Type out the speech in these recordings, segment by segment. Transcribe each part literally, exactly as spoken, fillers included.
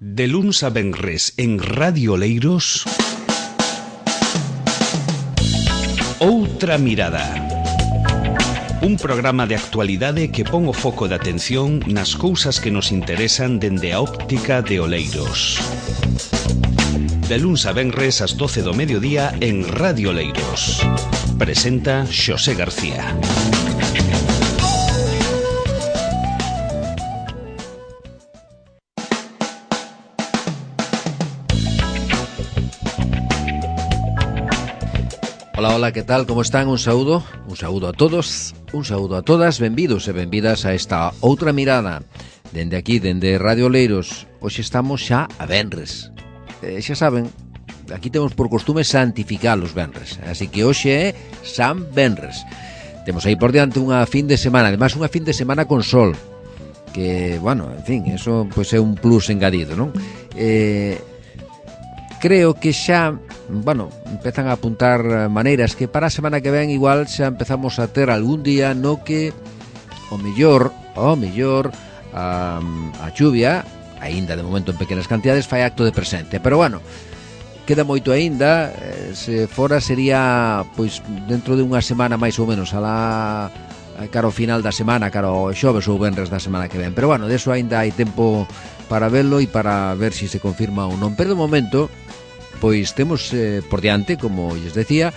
De luns a venres en Radio Oleiros, Outra Mirada. Un programa de actualidade que pon o foco de atención nas cousas que nos interesan dende a óptica de Oleiros. De luns a venres ás doce do mediodía en Radio Oleiros. Presenta Xosé García. Hola, hola, que tal? Como están? Un saúdo, un saúdo a todos, un saúdo a todas, benvidos e benvidas a esta Outra Mirada. Dende aquí, dende Radio Oleiros, hoxe estamos xa a venres. Eh, xa saben, aquí temos por costume santificar os venres, así que hoxe é San Venres. Temos aí por diante unha fin de semana, además unha fin de semana con sol, que, bueno, en fin, eso pois é un plus engadido, non? Eh, creo que xa, bueno, empezan a apuntar maneiras que para a semana que ven igual xa empezamos a ter algún día no que o mellor, o mellor a, a chuvia, aínda de momento en pequenas cantidades, fai acto de presente, pero bueno, queda moito aínda, se fora sería pois dentro de unha semana máis ou menos, alá cara ao final da semana, cara ao xoves ou venres da semana que ven, pero bueno, deso aínda hai tempo para verlo e para ver se si se confirma ou non, pero de momento pois temos eh, por diante, como lles decía,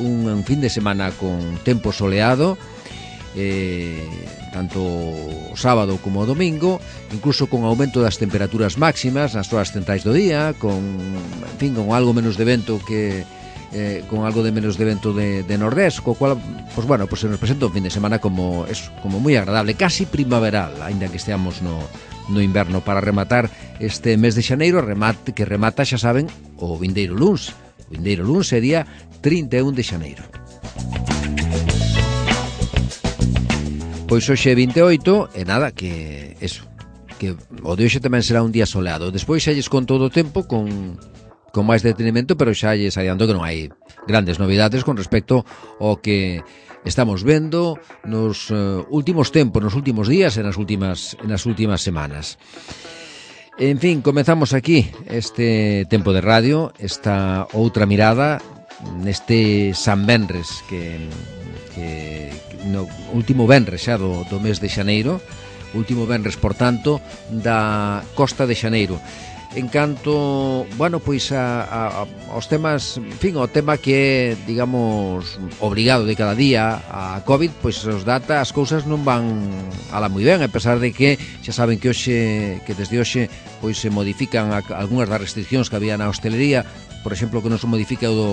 un, un fin de semana con tempo soleado, eh, tanto o sábado como o domingo, incluso con aumento das temperaturas máximas nas horas centrais do día, con, en fin, con algo menos de vento que eh, con algo de menos de vento de, de nordés, co cual, pues bueno, pues se nos presenta un fin de semana como eso, como moi agradable, casi primaveral, aínda que esteamos no no inverno, para rematar este mes de xaneiro, remate, que remata, xa saben, o vindeiro luns. O vindeiro luns sería trinta e un de xaneiro. Pois hoxe é vinte e oito, e nada, que eso, que o de hoxe tamén será un día soleado. Despois xa lles conto todo o tempo con, con máis detenimento, pero xa lles adianto que non hai grandes novidades con respecto ao que estamos vendo nos uh, últimos tempos, nos últimos días e nas últimas, nas últimas semanas. En fin, comezamos aquí este tempo de radio, esta outra mirada neste San Venres, que, que no último venres xa do, do mes de xaneiro, último venres, por tanto, da Costa de Xaneiro. En canto, bueno, pois a, a, aos temas, en fin, o tema que é, digamos, obrigado de cada día a COVID, pois os data, as cousas non van ala moi ben, a pesar de que xa saben que hoxe, que desde hoxe pois se modifican a, algunhas das restriccións que había na hostelería, por exemplo, que non se modifica o do,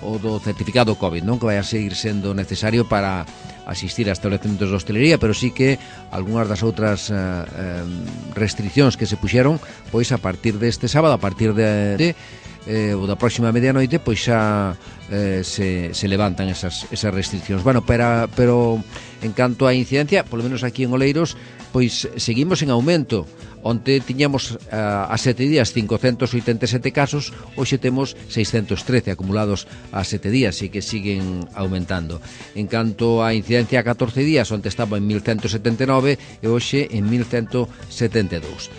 o do certificado COVID, non, que vai a seguir sendo necesario para asistir a establecementos de hostelería, pero sí que algunhas das outras eh, restriccións que se puxeron, pois a partir deste sábado, a partir de, de eh, ou da próxima medianoite, pois xa eh, se, se levantan esas, esas restriccións. Bueno, pero, pero en canto á incidencia, polo menos aquí en Oleiros, pois seguimos en aumento. Onte tiñamos uh, a sete días cincocentos oitenta e sete casos, hoxe temos seiscentos trece acumulados a sete días, e que siguen aumentando. En canto á incidencia a catorce días, onte estaba en mil ciento setenta e nove e hoxe en mil ciento setenta e dous.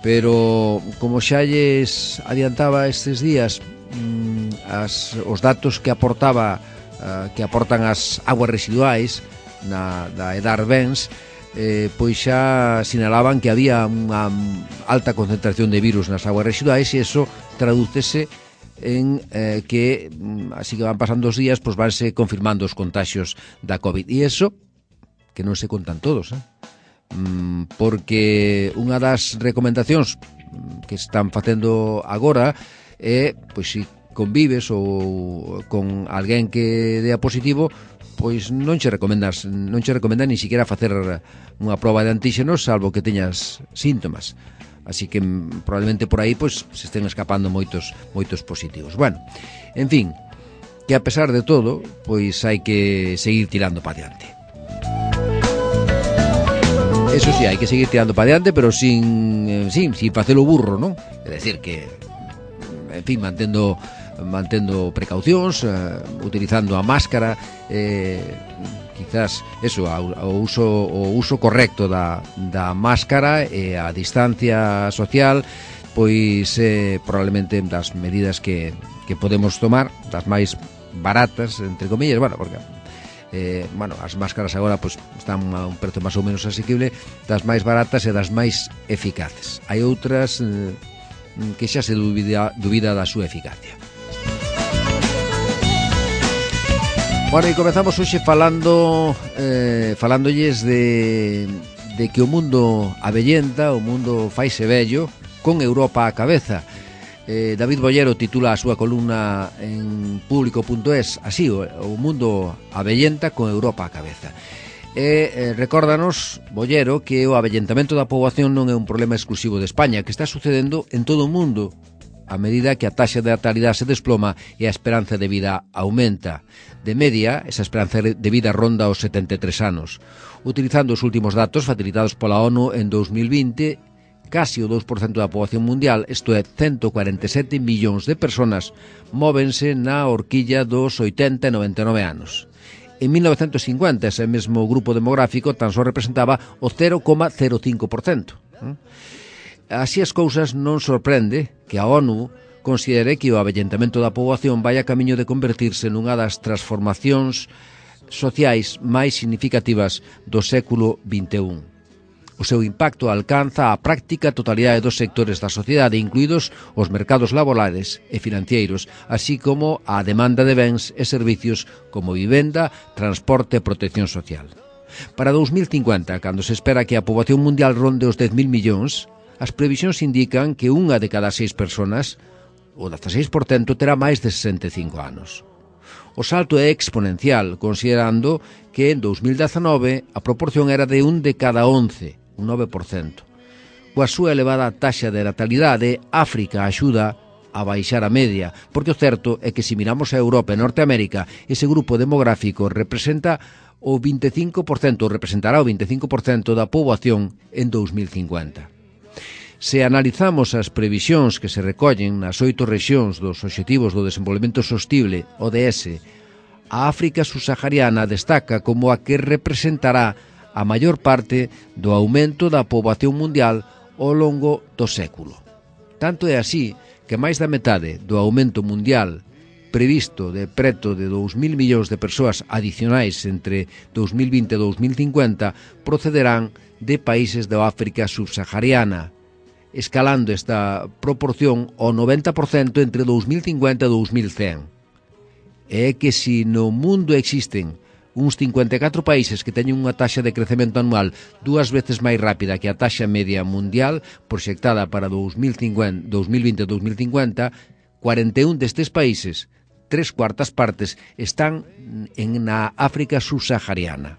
Pero, como xa lles adiantaba estes días, mmm, as, os datos que aportaba uh, que aportan as aguas residuais na, da Edar Bens, Eh, pois xa sinalaban que había unha alta concentración de virus nas aguas residuais, e iso tradúcese en eh, que, así que van pasando os días, pois vanse confirmando os contaxios da COVID, e iso que non se contan todos, eh? mm, porque unha das recomendacións que están facendo agora é, pois se convives ou con alguén que dea positivo, pois non che recomendas, non che recomenda ni siquiera facer unha proba de antíxenos, salvo que teñas síntomas. Así que probablemente por aí pois se estén escapando moitos moitos positivos. Bueno, en fin, que a pesar de todo, pois hai que seguir tirando para diante. Eso sí, hai que seguir tirando para diante, pero sin, sin, sin facelo burro, non? É decir que, en fin, mantendo mantendo precaucións, uh, utilizando a máscara, eh, quizás eso, o uso, o uso correcto da, da máscara e a distancia social, pois eh, probablemente das medidas que, que podemos tomar, das máis baratas, entre comillas, bueno, porque eh, bueno, as máscaras agora pues, están a un prezo máis ou menos asequible, das máis baratas e das máis eficaces. Hai outras eh, que xa se dubida, dubida da súa eficacia. Bueno, e comezamos hoxe falando eh, falándolles de, de que o mundo avellenta, o mundo faise vello, con Europa á cabeza. Eh, David Bollero titula a súa columna en público punto es así, o, o mundo avellenta con Europa á cabeza. E eh, recórdanos, Bollero, que o avellentamento da poboación non é un problema exclusivo de España, que está sucedendo en todo o mundo, a medida que a taxa de natalidade se desploma e a esperanza de vida aumenta. De media, esa esperanza de vida ronda os setenta e tres anos. Utilizando os últimos datos facilitados pola ONU en dos mil vinte, casi o dous por cento da poboación mundial, isto é, ciento cuarenta e sete millóns de persoas, móvense na horquilla dos oitenta e noventa e nove anos. En mil novecentos cincuenta, ese mesmo grupo demográfico tan só representaba o cero coma cero cinco por cento. Así as cousas, non sorprende que a ONU considere que o avellentamento da poboación vai a camiño de convertirse nunha das transformacións sociais máis significativas do século vinte e un. O seu impacto alcanza a práctica totalidade dos sectores da sociedade, incluídos os mercados laborais e financeiros, así como a demanda de bens e servicios como vivenda, transporte e protección social. Para dous mil cincuenta, cando se espera que a poboación mundial ronde os dez mil millóns, as previsións indican que unha de cada seis persoas, o dezaseis por cento, terá máis de sesenta e cinco anos. O salto é exponencial, considerando que en dous mil dezanove a proporción era de un de cada once, un nove por cento. Coa súa elevada taxa de natalidade, África axuda a baixar a media, porque o certo é que se miramos a Europa e Norteamérica, ese grupo demográfico representa o vinte e cinco por cento, representará o vinte e cinco por cento da poboación en dous mil cincuenta. Se analizamos as previsións que se recollen nas oito rexións dos Obxectivos do Desenvolvemento Sostible, O D S, a África subsahariana destaca como a que representará a maior parte do aumento da poboación mundial ao longo do século. Tanto é así que máis da metade do aumento mundial previsto de preto de dous mil millóns de persoas adicionais entre dous mil vinte e dous mil cincuenta procederán de países da África subsahariana, escalando esta proporción ao noventa por cento entre dous mil cincuenta e dous mil cen. É que se no mundo existen uns cincuenta e catro países que teñen unha taxa de crecemento anual dúas veces máis rápida que a taxa media mundial proxectada para dous mil vinte e dous mil cincuenta, cuarenta e un destes países, tres cuartas partes, están en na África subsahariana.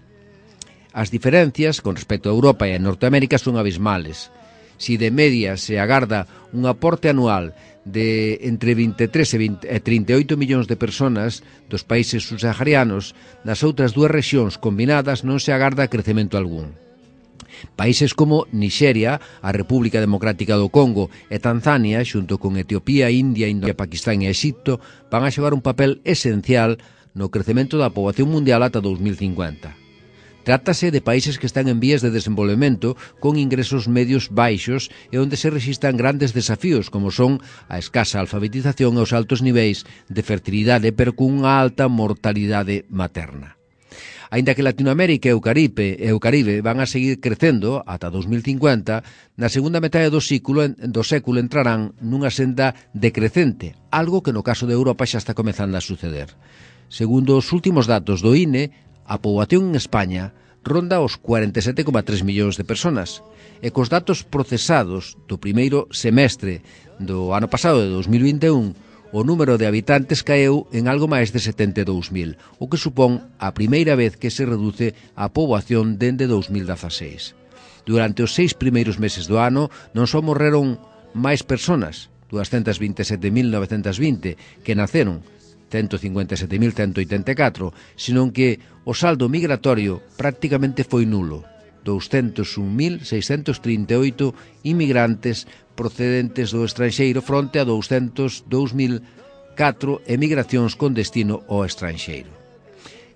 As diferencias con respecto a Europa e a Norteamérica son abismales. Si de media se agarda un aporte anual de entre vinte e tres e trinta e oito millóns de persoas dos países subsaharianos, nas outras dúas rexións combinadas non se agarda crecemento algún. Países como Nixeria, a República Democrática do Congo e Tanzania, xunto con Etiopía, India, Indonesia, Pakistán e Egipto, van a xogar un papel esencial no crecemento da poboación mundial ata dous mil cincuenta. Trátase de países que están en vías de desenvolvemento con ingresos medios baixos e onde se rexistran grandes desafíos como son a escasa alfabetización e os altos niveis de fertilidade, pero cunha alta mortalidade materna. Aínda que Latinoamérica e o Caribe, e o Caribe van a seguir crecendo ata dous mil cincuenta, na segunda metade do século, do século entrarán nunha senda decrecente, algo que no caso de Europa xa está comezando a suceder. Segundo os últimos datos do I N E, a poboación en España ronda os cuarenta e sete coma tres millóns de persoas e cos datos procesados do primeiro semestre do ano pasado de dous mil vinte e un, o número de habitantes caeu en algo máis de setenta e dous mil, o que supón a primeira vez que se reduce a poboación dende dous mil dezaseis. Durante os seis primeiros meses do ano non só morreron máis persoas, doscientos vinte e sete mil novecentos vinte, que naceron, ciento cincuenta e sete mil ciento oitenta e catro, senón que o saldo migratorio prácticamente foi nulo, doscientos un mil seiscentos trinta e oito inmigrantes procedentes do estranxeiro fronte a doscientos dous mil catro emigracións con destino ao estranxeiro.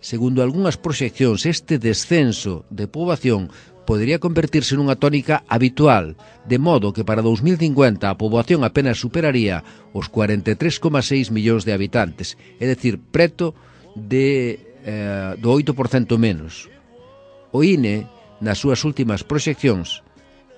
segundo algunhas proxeccións, este descenso de poboación podería convertirse nunha tónica habitual, de modo que para dous mil cincuenta a poboación apenas superaría os cuarenta e tres coma seis millóns de habitantes, é dicir, preto de, eh, do oito por cento menos. O I N E, nas súas últimas proxeccións,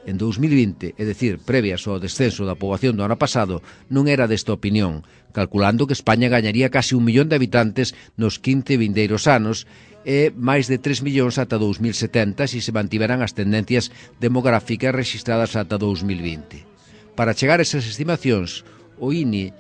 en dous mil vinte, é dicir, previas ao descenso da poboación do ano pasado, non era desta opinión, calculando que España gañaría casi un millón de habitantes nos quince vindeiros anos e máis de tres millóns ata dous mil setenta se se mantiveran as tendencias demográficas registradas ata dous mil vinte. Para chegar a esas estimacións, o I N E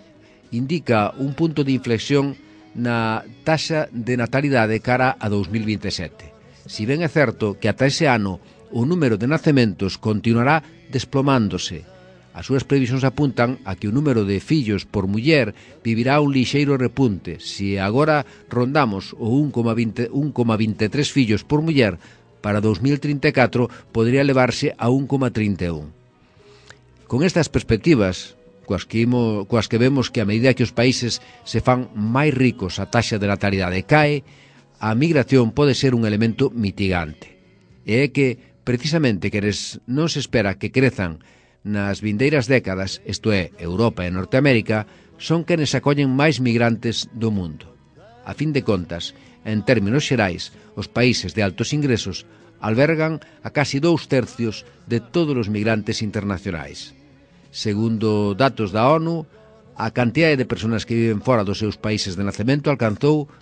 indica un punto de inflexión na taxa de natalidade cara a dous mil vinte e sete. Si ben é certo que ata ese ano o número de nacementos continuará desplomándose. As súas previsións apuntan a que o número de fillos por muller vivirá un lixeiro repunte. Se agora rondamos o un coma vinte e tres fillos por muller, para dous mil trinta e catro podría elevarse a un coma trinta e un. Con estas perspectivas, coas que, imo, coas que vemos que a medida que os países se fan máis ricos a taxa de natalidade cae, a migración pode ser un elemento mitigante. E é que precisamente queres non se espera que crezan nas vindeiras décadas, isto é, Europa e Norteamérica, son quenes acollen máis migrantes do mundo. A fin de contas, en términos xerais, os países de altos ingresos albergan a casi dous tercios de todos os migrantes internacionais. Segundo datos da ONU, a cantidade de persoas que viven fora dos seus países de nacemento alcanzou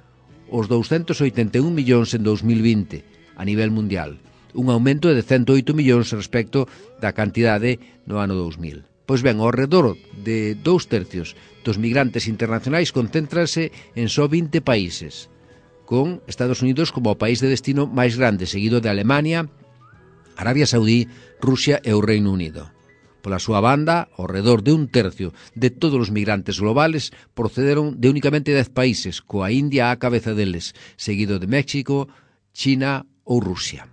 os douscentos oitenta e un millóns en dous mil vinte a nivel mundial, un aumento de cento oito millóns respecto da cantidade no ano dous mil. Pois ben, ao redor de dous tercios dos migrantes internacionais concéntranse en só vinte países, con Estados Unidos como o país de destino máis grande, seguido de Alemania, Arabia Saudí, Rusia e o Reino Unido. Pola súa banda, ao redor de un tercio de todos os migrantes globales procederon de únicamente dez países, coa India á cabeza deles, seguido de México, China ou Rusia.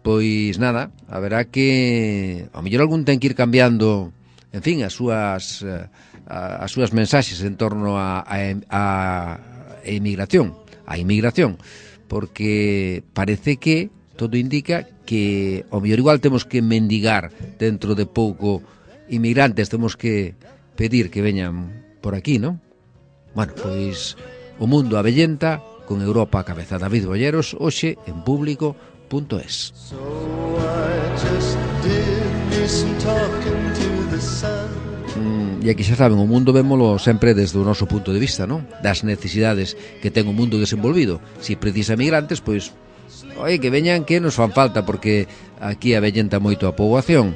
Pois nada, haberá que ao mellor algún ten que ir cambiando, en fin, as súas a, as súas mensaxes en torno a, a, a emigración, a inmigración, porque parece que todo indica que ao mellor igual temos que mendigar dentro de pouco inmigrantes, temos que pedir que veñan por aquí, non? Bueno, pois o mundo abellenta con Europa a cabeza. David Bolleros, hoxe en público punto es. Mm, e aquí xa saben, o mundo vémolo sempre desde o noso punto de vista, non? Das necesidades que ten o mundo desenvolvido. Si precisa migrantes, pois, oi, que veñan que nos fan falta, porque aquí avellenta moito a poboación.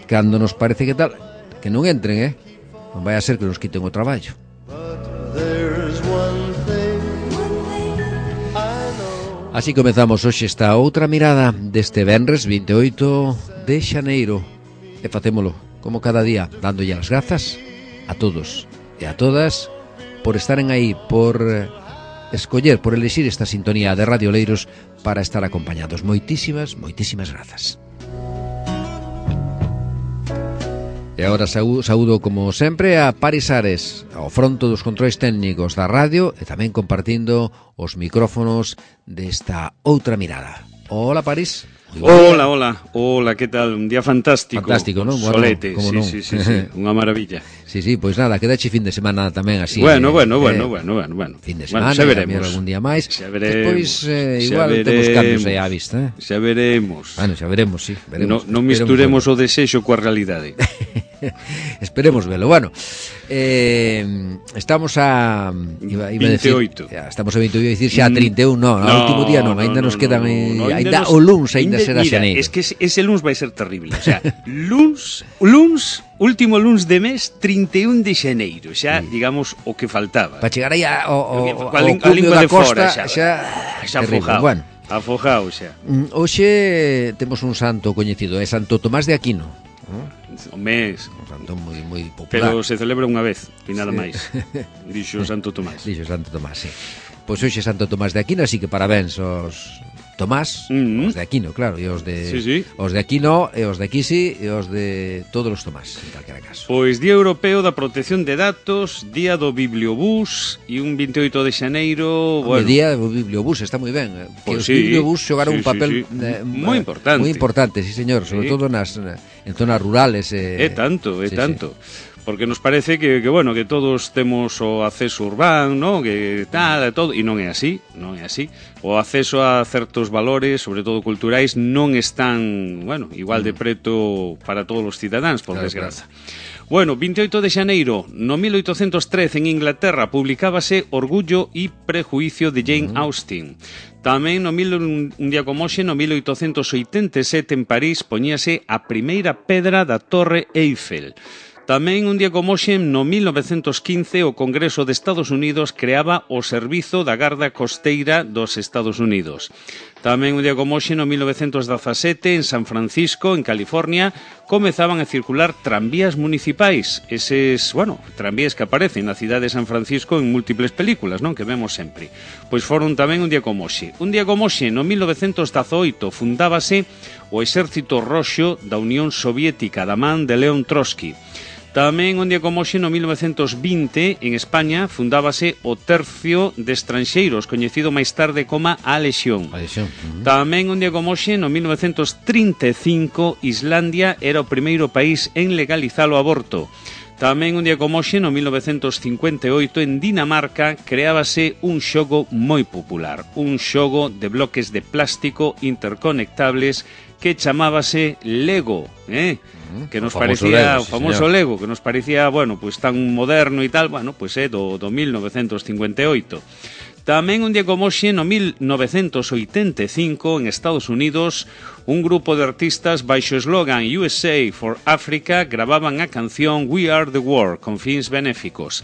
Cando nos parece que tal, que non entren, eh? Non vai a ser que nos quiten o traballo. Así comezamos hoxe esta outra mirada deste venres vinte e oito de xaneiro. E facémolo, como cada día, dándolle as grazas a todos e a todas por estaren aí, por escoller, por elexir esta sintonía de Radio Oleiros para estar acompañados. Moitísimas, moitísimas grazas. E agora saúdo, como sempre, a Paris Ares, ao fronto dos controis técnicos da radio e tamén compartindo os micrófonos desta outra mirada. Hola, Paris. Hola, hola, hola, que tal? Un día fantástico. Fantástico, non? Solete, bueno, sí, sí, sí, sí, unha maravilla. Sí, sí, pois nada, quedache fin de semana tamén así. Bueno, eh, bueno, eh, bueno, bueno, bueno, bueno. Fin de semana, bueno, xa veremos. Algún día máis. Xa veremos. Despois, eh, igual veremos, temos cambios aí á vista, eh? Xa veremos. Bueno, xa veremos, sí, veremos. No, non misturemos o desexo coa realidade. Esperemos velo. Bueno, eh, estamos a iba, iba vinte e oito. A decir, estamos a vinte e oito, dicir xa a trinta e un, no, no, no último día non, aínda no, nos quedan no, no, aínda o luns aínda será xaneiro. Es que ese luns vai ser terrible, o sea, luns, luns, último luns de mes trinta e un de xaneiro, xa, sí, digamos, o que faltaba. Para chegar aí a, o, o, a, a, o cumio da costa, xa, xa, xa afojado. Bueno, afojado xa. Hoxe temos un santo coñecido, é Santo Tomás de Aquino. O mes, un santo moi moi popular. Pero se celebra unha vez e nada máis. Dixo Santo Tomás. Dixo Santo Tomás, sí. Pois hoxe Santo Tomás de Aquino, así que parabéns aos Tomás, Mm. os de Aquino, claro, e os de Sí, sí. os de Aquino, e os de Quisi, e os de todos os Tomás, en calquera caso. Pois Día Europeo da Protección de Datos, Día do Bibliobús e un veinte e oito de xaneiro, Bueno, bueno, día do bibliobús, está moi ben. Que Pois os sí, bibliobús xogaron sí, un papel sí, sí. eh, Moi importante. Moi importante, sí, señor, sobre Sí. todo nas en zonas rurales eh, é tanto, é sí, tanto. Porque nos parece que, que bueno, que todos temos o acceso urbano, ¿no? Que tal, e todo, e non é así, non é así. O acceso a certos valores, sobre todo culturais, non están, bueno, igual de preto para todos os cidadáns, por Claro, desgraza. Bueno, veinte e oito de xaneiro, no mil oitocentos trece en Inglaterra publicábase Orgullo e Prejuicio de Jane Austen. Tamén no mil, un día como hoxe, no mil oitocentos oitenta e sete en París poñíase a primeira pedra da Torre Eiffel. Tamén un día como hoxe, no mil novecentos quince, o Congreso de Estados Unidos creaba o Servizo da Garda Costeira dos Estados Unidos. Tamén un día como hoxe, no mil novecentos dezasete, en San Francisco, en California, comezaban a circular tranvías municipais. Eses, bueno, tranvías que aparecen na cidade de San Francisco en múltiples películas, non? Que vemos sempre. Pois foron tamén un día como hoxe. Un día como hoxe, no mil novecentos dezaoito, fundábase o Exército Roxo da Unión Soviética, da man de León Trotsky. Tamén un día como hoxe, no mil novecentos vinte, en España, fundábase o Tercio de Estranxeiros, coñecido máis tarde como a Lexión. A lesión. Uh-huh. Tamén un día como hoxe, no mil novecentos trinta e cinco, Islandia era o primeiro país en legalizar o aborto. Tamén un día como hoxe, no mil novecentos cincuenta e oito, en Dinamarca, creábase un xogo moi popular, un xogo de bloques de plástico interconectables que chamábase Lego, eh? que nos O famoso parecía Lego, o sí, famoso señor. Lego, que nos parecía, bueno, pues tan moderno e tal, bueno, pues é do, do mil novecentos cincuenta e oito. Tamén un día como hoxe, no mil novecentos oitenta e cinco, en Estados Unidos, un grupo de artistas baixo o eslogan U S A for Africa gravaban a canción We Are the World con fins benéficos.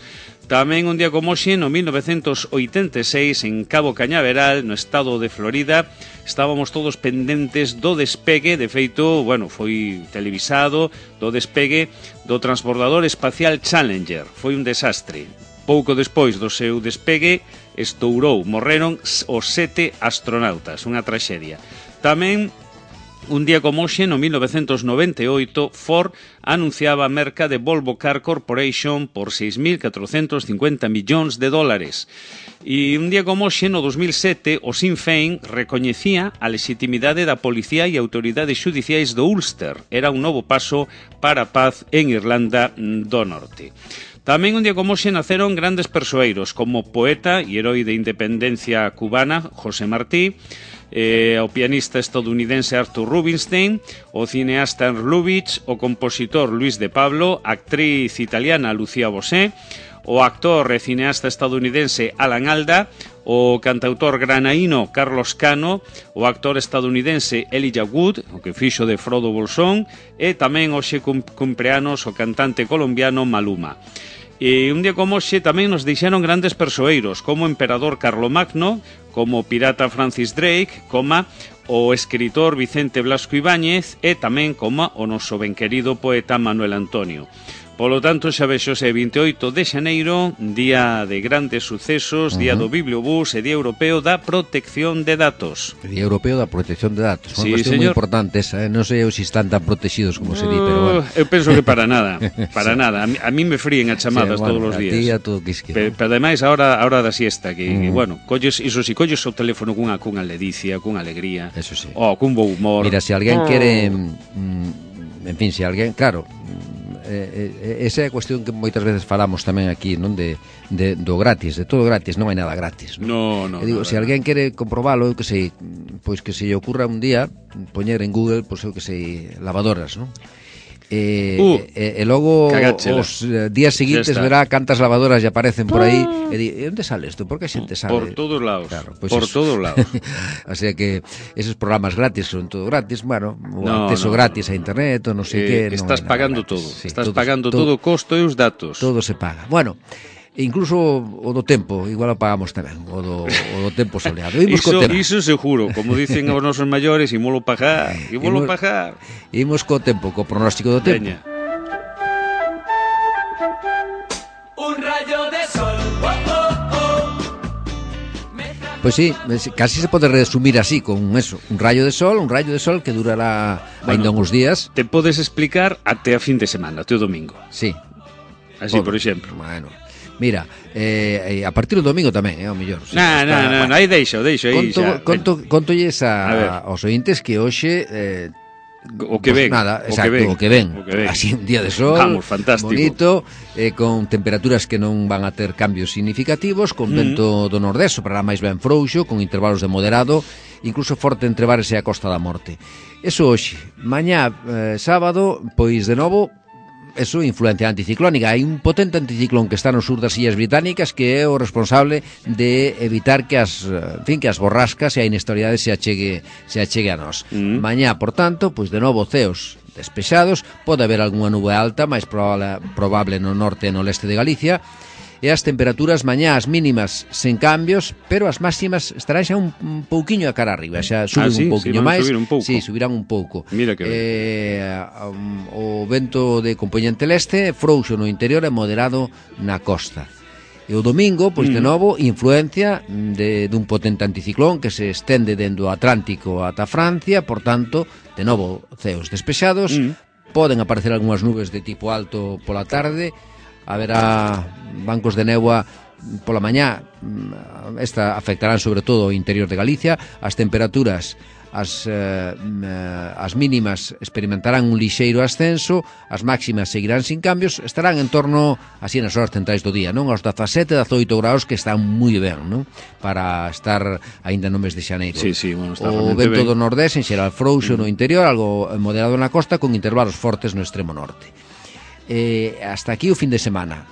Tamén un día como hoxe, no mil novecentos oitenta e seis, en Cabo Cañaveral, no estado de Florida, estábamos todos pendentes do despegue, de feito, bueno, foi televisado, do despegue do transbordador espacial Challenger. Foi un desastre. Pouco despois do seu despegue, estourou, morreron os sete astronautas, unha traxedia. Tamén un día como hoxe, no mil novecentos noventa e oito, Ford anunciaba a merca de Volvo Car Corporation por seis mil catrocentos cincuenta millóns de dólares. E un día como hoxe, no dos mil sete, o Sinn Féin recoñecía a legitimidade da policía e autoridades xudiciais do Ulster. Era un novo paso para a paz en Irlanda do Norte. Tamén un día como hoxe naceron grandes persoeiros como o poeta e heroi de independencia cubana José Martí, Eh, o pianista estadounidense Arthur Rubinstein, o cineasta Ernst Lubitsch, o compositor Luis de Pablo, a actriz italiana Lucía Bosé, o actor e cineasta estadounidense Alan Alda, o cantautor granaíno Carlos Cano, o actor estadounidense Elijah Wood, o que fixo de Frodo Bolsón, e tamén hoxe cumpleanos o cantante colombiano Maluma. E un día como hoxe tamén nos deixaron grandes persoeiros, como o emperador Carlomagno, como o pirata Francis Drake, como o escritor Vicente Blasco Ibáñez e tamén como o noso benquerido poeta Manuel Antonio. Polo tanto, xa vexose veinte e oito de xaneiro, día de grandes sucesos, uh-huh. día do Bibliobús e día europeo da protección de datos. Día europeo da protección de datos. Sí, Unha cuestión moi señor. importante esa, eh? Non sei se están tan protegidos como se di, pero bueno. Eu penso que para nada, para sí. nada. A mí, a mí me fríen as chamadas sí, bueno, todos os días. A ti a todo quisque. Pero, pero ademais, a hora, a hora da siesta, que, Mm. que bueno, colles, iso si colles o teléfono cunha, cunha ledicia, cunha alegría, Eso sí. o cun bo humor. Mira, se alguén oh. quere, mm, en fin, se alguén, claro, eh, eh, esa é a cuestión que moitas veces falamos tamén aquí, non, de, de do gratis, de todo gratis, non hai nada gratis, non? No, no. E digo, no, se no. alguén quere comprobalo, eu que sei, pois que se lle ocurra un día poñer en Google, pois eu que sei, lavadoras, non? E, Uh, e, e logo cagáchela. os eh, días seguintes verá cantas lavadoras lle aparecen por aí e di, e onde sale isto? Por que a xente sabe? Por todos lados, claro, pues por eso. todos lados. O sea que esos programas gratis son todo gratis, bueno, o No, acceso no, gratis no, a internet, o non sei eh, que, estás non hai nada pagando gratis. todo, Sí, estás todo, pagando todo, todo o costo e os datos. todo se paga. Bueno, incluso o do tempo, igual o pagamos tamén, o do, o do tempo soleado. Imos co Iso, tema. iso seguro, como dicen os nosos maiores, imolo pagar, imolo Imos- pagar. Imos co tempo, co pronóstico do tempo. Veña. Un rayo de sol, oh, oh, oh. Pois Pois sí, casi se pode resumir así, con eso, un rayo de sol, un rayo de sol que durará bueno, ainda uns días. Te podes explicar até a fin de semana, até o domingo. Sí. Así, por exemplo. Bueno, mira, eh, a partir do domingo tamén, é eh, o mellor. Sí, non, non, non, bueno, aí deixo, deixo aí conto, xa. Conto, contolles a, a, aos ointes que hoxe... Eh, o que ven, pues nada, o, exacto, que ven, o que ven, o que ven. Así un día de sol, vamos, fantástico. Bonito, eh, con temperaturas que non van a ter cambios significativos, con mm. vento do nordés, para máis ben frouxo, con intervalos de moderado, incluso forte entre Bares e a Costa da Morte. Eso hoxe, mañá eh, sábado, pois de novo, eso, influencia anticiclónica. Hai un potente anticiclón que está no sur das Illas Británicas que é o responsable de evitar que as, en fin, que as borrascas e a inestabilidade se achegue, se achegue a nós. Mm. Mañá, por tanto, pois de novo ceos despexados, pode haber algunha nube alta, máis probable, probable no norte e no leste de Galicia, e as temperaturas mañá as mínimas sen cambios, pero as máximas estarán xa un, un pouquiño a cara arriba, xa suben ah, sí? un pouquiño sí, máis. Un pouco. Sí, subirán un pouco. Mira que eh, um, o vento de componente leste frouxo no interior e moderado na costa. E o domingo, pois de novo, influencia de dun potente anticiclón que se estende dende o Atlántico ata Francia, por tanto, de novo, ceos despexados, mm. poden aparecer algunhas nubes de tipo alto pola tarde, haberá bancos de néboa pola mañá, esta afectarán sobre todo o interior de Galicia, as temperaturas as, eh, as mínimas experimentarán un lixeiro ascenso, as máximas seguirán sin cambios, estarán en torno así nas horas centrais do día, non? Aos dezasete, dezoito graus, que están moi ben, non? Para estar aínda no mes de xaneiro. Sí, sí, bueno, está o vento ben. do nordés en xeral frouxo mm. no interior, algo moderado na costa, con intervalos fortes no extremo norte. Eh, hasta aquí o fin de semana.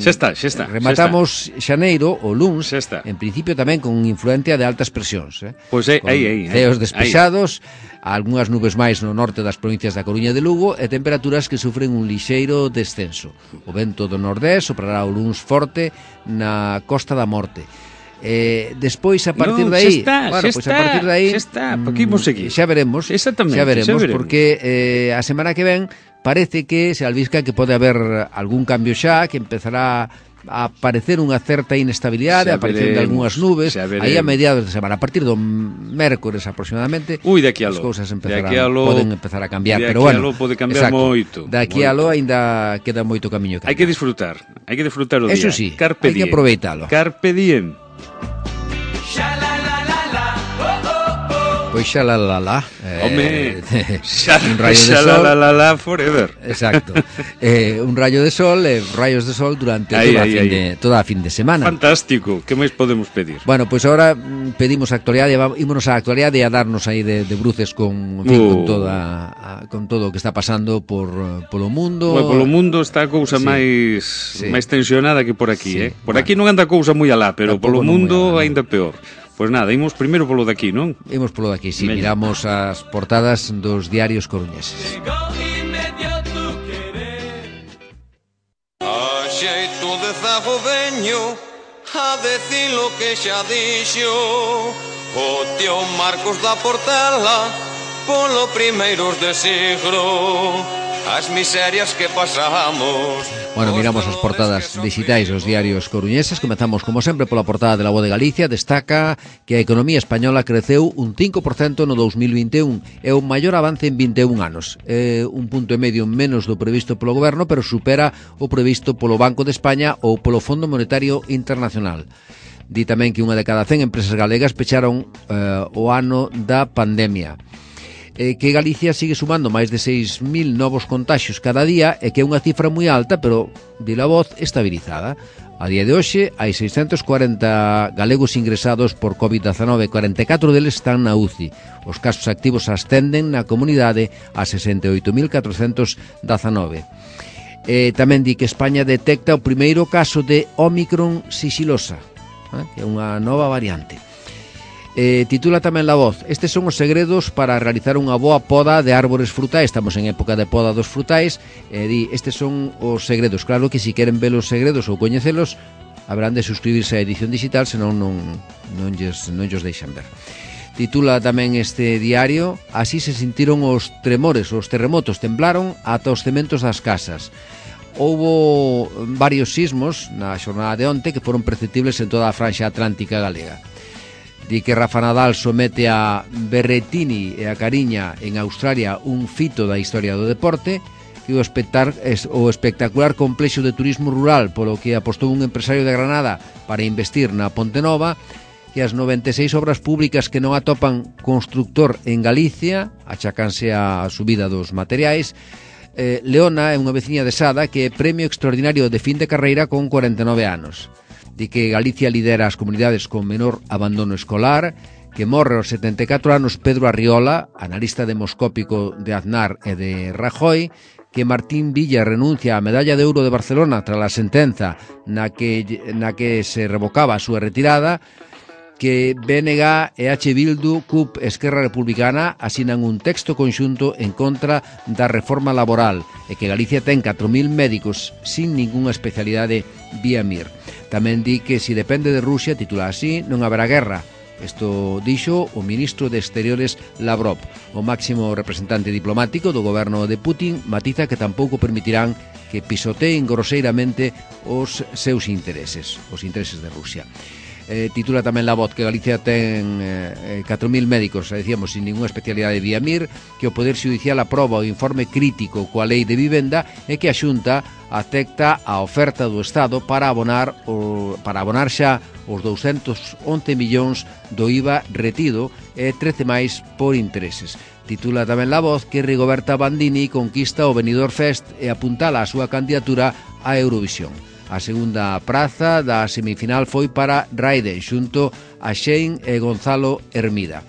Xa está, xa está. Rematamos xa está. xaneiro, o luns, xa está. En principio tamén con influencia de altas presións, eh? Pois pues aí, aí, aí. Ceos despexados, algunhas nubes máis no norte das provincias da Coruña e de Lugo e temperaturas que sufren un lixeiro descenso. O vento do nordés soprará o luns forte na Costa da Morte. Eh, despois a partir no, de aí, está, bueno, pois pues a partir de aí, xa está, porque imos seguir. Xa veremos, Exactamente, xa veremos, xa veremos. porque eh, a semana que ven parece que se albisca que pode haber algún cambio xa, que empezará a aparecer unha certa inestabilidade, a aparecer de algunhas nubes, aí a mediados de semana, a partir do mércores aproximadamente. Ui, de aquí a lo. As cousas empezarán, lo, poden empezar a cambiar, de pero bueno, lo pode cambiar exacto, moito. De aquí a lo aínda queda moito camiño. Hai que disfrutar, hai que disfrutar o día. Eso sí, Carpe hai que aproveitalo. Carpe diem. Pois xa la la la eh, Home, xa, un rayo xa de sol, la la la la forever. Exacto, eh, un rayo de sol eh, rayos de sol durante ahí, toda, ahí, a fin ahí. De, toda a fin de semana. Fantástico, que máis podemos pedir? Bueno, pois pues agora mm, pedimos a actualidade, ímonos á actualidade e a darnos aí de, de bruces con, en fin, uh. con, toda, a, con todo o que está pasando por polo mundo. Bueno, polo mundo está a cousa sí. máis sí. máis tensionada que por aquí, sí. eh? Por bueno. aquí non anda a cousa moi alá, pero Tampoco polo mundo alá, aínda peor. Pois pues nada, imos primeiro polo de aquí, non? Imos polo de aquí, si, sí, miramos as portadas dos diarios coruñeses. A xeito de zago veño a decir lo que xa dixo o tío Marcos da Portela polo primeiros de siglo. As miserias que pasamos. Bueno, miramos as portadas digitais dos diarios coruñeses. Comezamos, como sempre, pola portada de La Voz de Galicia. Destaca que a economía española creceu un cinco por cento no dos mil vinte e un. É o maior avance en vinte e un anos. É un punto e medio menos do previsto polo goberno, pero supera o previsto polo Banco de España ou polo Fondo Monetario Internacional. Di tamén que unha de cada cen empresas galegas pecharon eh, o ano da pandemia. Eh, que Galicia sigue sumando máis de seis mil novos contaxios cada día e que é unha cifra moi alta, pero, di La Voz, estabilizada. A día de hoxe hai seiscentos cuarenta galegos ingresados por covid dezanove, cuarenta e catro deles están na U C I. Os casos activos ascenden na comunidade a sesenta e oito mil catrocentos dezanove. Eh, tamén di que España detecta o primeiro caso de Omicron sixilosa, eh, que é unha nova variante. Eh, titula tamén La Voz: estes son os segredos para realizar unha boa poda de árbores frutais. Estamos en época de poda dos frutais. eh, di, estes son os segredos. Claro que se si queren ver os segredos ou coñecelos, haberán de suscribirse á edición digital, senón non, non, lles, non lles deixan ver. Titula tamén este diario: así se sentiron os tremores, os terremotos, temblaron ata os cementos das casas. Houbo varios sismos na xornada de onte que foron perceptibles en toda a franxa atlántica galega. Di que Rafa Nadal somete a Berrettini e a Cariña en Australia un fito da historia do deporte, que o, espectar, o espectacular complexo de turismo rural polo que apostou un empresario de Granada para investir na Ponte Nova, que as noventa e seis obras públicas que non atopan constructor en Galicia achacanse a subida dos materiais. eh, Leona é unha veciña de Sada que é premio extraordinario de fin de carreira con cuarenta e nove anos. Di que Galicia lidera as comunidades con menor abandono escolar, que morre aos setenta e catro anos Pedro Arriola, analista demoscópico de Aznar e de Rajoy, que Martín Villa renuncia á medalla de ouro de Barcelona tras a sentenza na que, na que se revocaba a súa retirada, que B N G e H. Bildu, C U P e Esquerra Republicana asinan un texto conxunto en contra da reforma laboral e que Galicia ten catro mil médicos sin ningunha especialidade vía M I R. Tamén di que si depende de Rusia, titula así, non haberá guerra. Isto dixo o ministro de Exteriores Lavrov. O máximo representante diplomático do goberno de Putin matiza que tampouco permitirán que pisoteen groseiramente os seus intereses, os intereses de Rusia. Eh, titula tamén La Voz que Galicia ten eh, catro mil médicos, decíamos, sin ninguna especialidade vía M I R, que o Poder Judicial aproba o informe crítico coa Lei de Vivenda e que a Xunta acepta a oferta do Estado para abonar o, para abonar xa os douscentos once millóns do I V A retido e trece máis por intereses. Titula tamén La Voz que Rigoberta Bandini conquista o Benidorm Fest e apuntala a súa candidatura á Eurovisión. A segunda praza da semifinal foi para Raiden xunto a Shane e Gonzalo Hermida.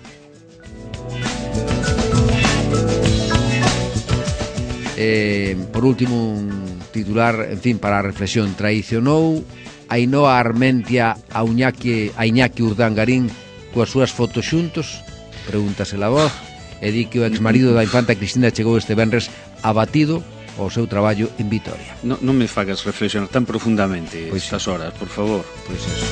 Eh, por último, un titular, en fin, para a reflexión. Traicionou Ainhoa Armentia a Iñaki, a Iñaki Urdangarín coas súas fotos xuntos? Pregúntase La Voz. E di que o exmarido da infanta Cristina chegou este venres abatido o seu traballo en Vitoria. No, non me fagas reflexionar tan profundamente pois estas sí. horas, por favor. Pois eso.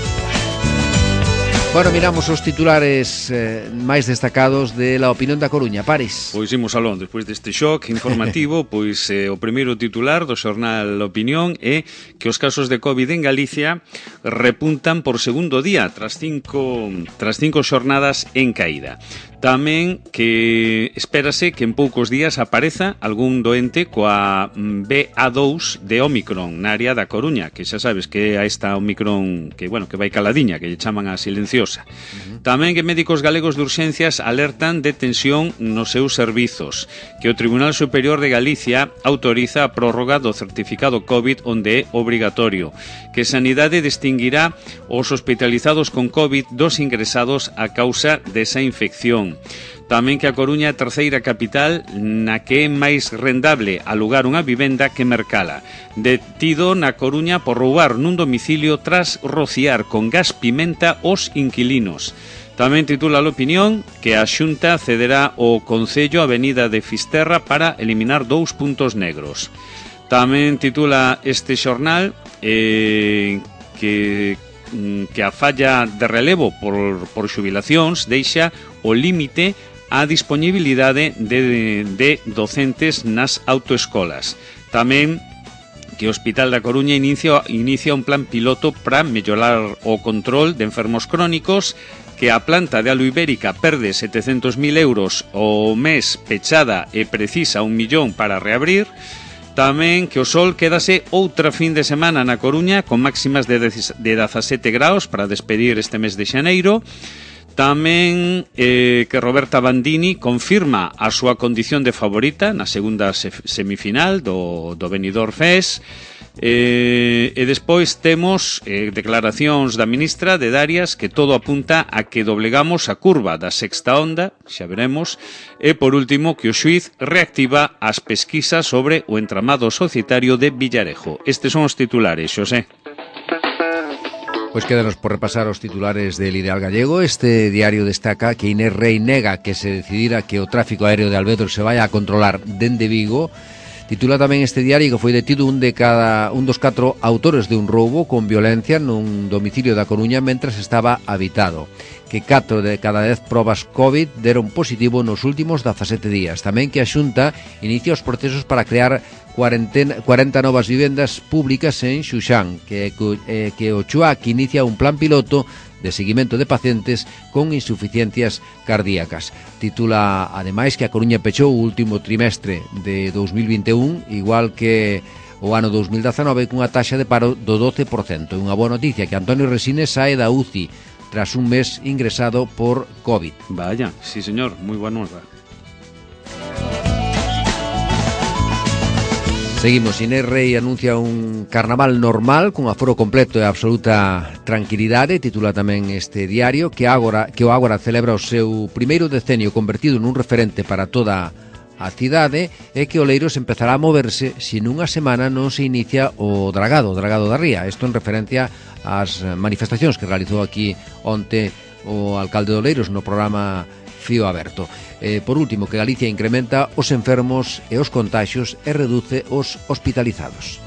Bueno, miramos os titulares eh, máis destacados de La Opinión da Coruña. Paris. Pois imos alón, despois deste shock informativo, pois eh, o primeiro titular do xornal La Opinión é que os casos de COVID en Galicia repuntan por segundo día tras cinco, tras cinco xornadas en caída. Tamén que espérase que en poucos días apareza algún doente coa B A dous de Omicron na área da Coruña, que xa sabes que é esta Omicron que, bueno, que vai caladiña, que lle chaman a silenciosa. Uh-huh. Tamén que médicos galegos de urxencias alertan de tensión nos seus servizos, que o Tribunal Superior de Galicia autoriza a prórroga do certificado COVID onde é obrigatorio, que Sanidade distinguirá os hospitalizados con COVID dos ingresados a causa desa infección. Tamén que a Coruña é a terceira capital na que é máis rendable alugar unha vivenda que mercala. Detido na Coruña por roubar nun domicilio tras rociar con gas pimenta os inquilinos. Tamén titula a Opinión que a Xunta cederá o Concello Avenida de Fisterra para eliminar dous puntos negros. Tamén titula este xornal eh, que que a falla de relevo por, por xubilacións deixa o límite á disponibilidade de, de docentes nas autoescolas. Tamén que o Hospital da Coruña inicia, inicia un plan piloto para mellorar o control de enfermos crónicos, que a planta de Alu Ibérica perde setecentos mil euros o mes pechada e precisa un millón para reabrir. Tamén que o sol quedase outra fin de semana na Coruña con máximas de dezasete graus para despedir este mes de xaneiro. Tamén eh, que Roberta Bandini confirma a súa condición de favorita na segunda semifinal do, do Benidorm Fest. Eh, e despois temos eh, declaracións da ministra de Darias que todo apunta a que doblegamos a curva da sexta onda, xa veremos. E por último que o xuíz reactiva as pesquisas sobre o entramado societario de Villarejo. Estes son os titulares, Xosé. Pois quédanos por repasar os titulares del Ideal Gallego. Este diario destaca que Inés Rei nega que se decidira que o tráfico aéreo de Alvedro se vaya a controlar dende Vigo. Titula tamén este diario que foi detido un de cada un dos catro autores de un roubo con violencia nun domicilio da Coruña mentras estaba habitado. Que catro de cada dez probas COVID deron positivo nos últimos dezasete días. Tamén que a Xunta inicia os procesos para crear cuarenta novas vivendas públicas en Xuxán, que, eh, que o Chuac inicia un plan piloto de seguimento de pacientes con insuficiencias cardíacas. Titula, ademais, que a Coruña pechou o último trimestre de dous mil vinte e un, igual que o ano dous mil dezanove, cunha taxa de paro do doce por cento. Unha boa noticia que Antonio Resines sae da U C I tras un mes ingresado por COVID. Vaya, sí señor, moi boa nova. Seguimos, Inés Rei anuncia un carnaval normal con aforo completo e absoluta tranquilidade. Titula tamén este diario que agora que o Ágora celebra o seu primeiro decenio convertido nun referente para toda a cidade e que Oleiros empezará a moverse se nunha semana non se inicia o dragado, o dragado da Ría. Isto en referencia ás manifestacións que realizou aquí onte o alcalde de Oleiros no programa Fío Aberto. Eh, por último, que Galicia incrementa os enfermos e os contaxios e reduce os hospitalizados.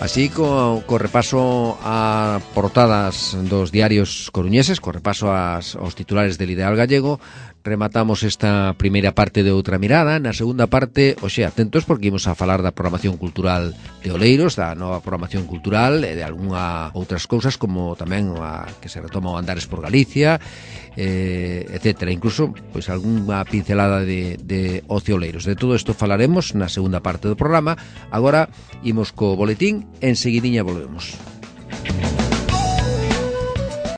Así, co, co repaso a portadas dos diarios coruñeses, co repaso ás, aos titulares del Ideal Gallego, rematamos esta primeira parte de Outra Mirada. Na segunda parte, oxe, atentos porque imos a falar da programación cultural de Oleiros, da nova programación cultural e de algunha outras cousas como tamén a que se retoma o Andares por Galicia, eh, etcétera. Incluso, pois, algunha pincelada de, de ocio Oleiros. De todo isto falaremos na segunda parte do programa. Agora imos co boletín, enseguidiña volvemos.